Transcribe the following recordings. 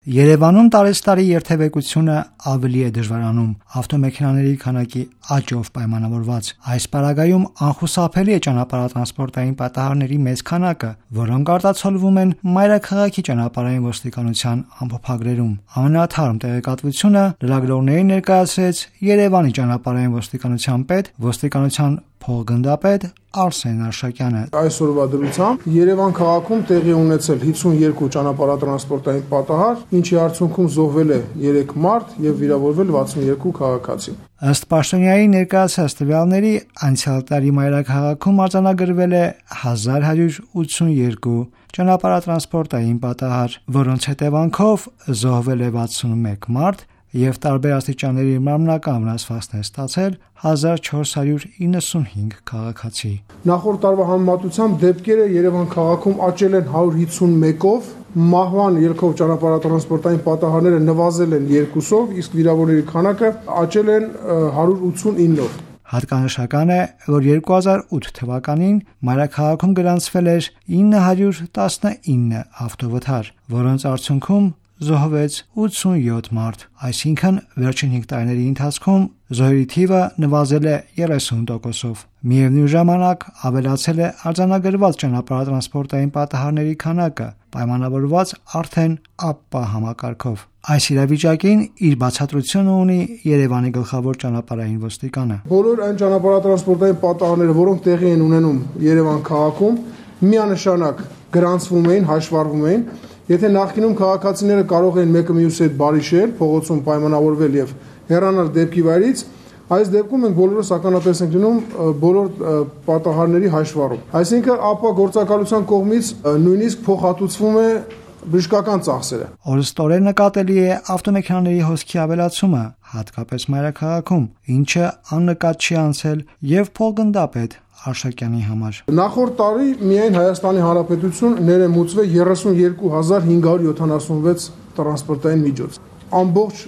Երևանում տարեստարի երթևեկությունը ավելի է դժվարանում ավտոմեքենաների քանակի աճով պայմանավորված։ Այս պարագայում անխուսափելի է ճանապարհատրանսպորտային պատահարների մեծ քանակը, որոնք արտացոլվում են մայրաքաղաքի ճանապարհային ոստիկանության ամփոփագրերում։ Ամենաթարմ տեղեկատվությունը լրագրողներին ներկայացրեց Երևանի ճանապարհային ոստիկանության պետ, ոստիկանության փոխգնդապետ Արսեն Արշակյանը։ Այսօրվա դրությամբ Երևան քաղաքում տեղի ունեցել 52 ճանապարհատրանսպորտային պատահար, ինչի արդյունքում զոհվել է 3 մարդ եւ վիրավորվել 62 քաղաքացի։ Ըստ Պաշտոնյայի ներկայացած տվյալների, անցյալ տարի մայրաքաղաքում արձանագրվել է 1182 ճանապարհատրանսպորտային պատահար, որոնց հետևանքով զոհվել է 61 մարդ եւ տարբեր աստիճանների մարմնական վնասվածքներ ստացել 1495 քաղաքացի։ Նախորդ տարվա համեմատությամբ դեպքերը Երևան քաղաքում աճել են 151-ով, մահվան ելքով ճանապարհատրանսպորտային պատահարները նվազել են 2-ով, իսկ վիրավորների քանակը աճել են 189-ով։ Հատկանշական է, որ 2008 թվականին մայրաքաղաքում գրանցվել էր 919 ավտովթար, որոնց արդյունքում զոհվեց 87 մարդ, այսինքն վերջին 5 տարիների ընթացքում զոհերի թիվը նվազել է 30%-ով։ Միևնույն ժամանակ ավելացել է արձանագրված ճանապարհատրանսպորտային պատահարների քանակը, պայմանավորված արդեն ԱՊՊԱ համակարգով։ Այս իրավիճակին իր բացատրությունը ունի Երևանի գլխավոր ճանապարհային ոստիկանը։ Բոլոր այն ճանապարհատրանսպորտային պատահարները, որոնք տեղի են ունենում Երևան քաղաքում, միանշանակ գրանցվում էին, հաշվառվում էին։ Եթե նախկինում քաղաքացիները կարող էին մեկը մյուսի հետ բարիշել, փողոցում պայմանավորվել եւ հեռանալ դեպքի վայրից, այս դեպքում մենք բոլորս ականատես ենք լինում բոլոր պատահարների հաշվառում։ Այսինքն ԱՊՊԱ գործակալության կողմից նույնիսկ փոխհատուցվում է բժշկական ծախսերը։ Օրստորեն նկատելի է ավտոմեքենաների հոսքի ավելացումը, հատկապես մայրաքաղաքում, ինչը աննկատ չի անցել եւ փոխգնդապետ Արշակյանի համար։ Նախորդ տարի միայն Հայաստանի Հանրապետություն ներմուծվել 32576 տրանսպորտային միջոց։ Ամբողջ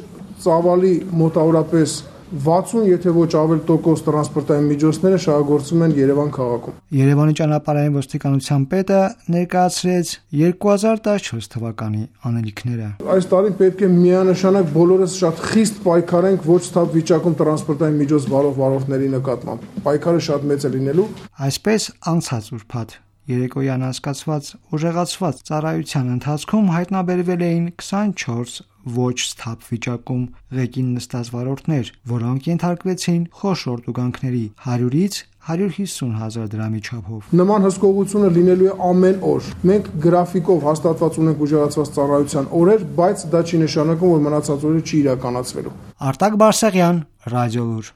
ծավալի մոտավորապես 60, եթե ոչ ավել տոկոս տրանսպորտային միջոցները շահագործվում են Երևան քաղաքում։ Երևանի ճանապարհային ոստիկանության պետը ներկայացրեց 2014 թվականի անելիքները։ Այս տարին պետք է միանշանակ բոլորս շատ խիստ պայքարենք ոչ սթափ վիճակում տրանսպորտային միջոց վարորդների նկատմամբ։ Պայքարը շատ մեծ է լինելու։ Այսպես անցած ուրբաթ երեկոյան անցկացված ուժեղացված ծառայության ընթացքում հայտնաբերվել էին 24 ոչ սթափ վիճակում ղեկին նստած վարորդներ, որոնք ենթարկվեցին խոշոր տուգանքների 100-ից 150 հազար դրամի չափով։ Նման հսկողությունը լինելու է ամեն օր։ Մենք գրաֆիկով հաստատված ունենք ուժեղացված ծառայության օրեր, բայց դա չի նշանակում, որ մնացած օրերը չի իրականացվելու։ Արտակ Բարսեղյան, Ռադիոլուր։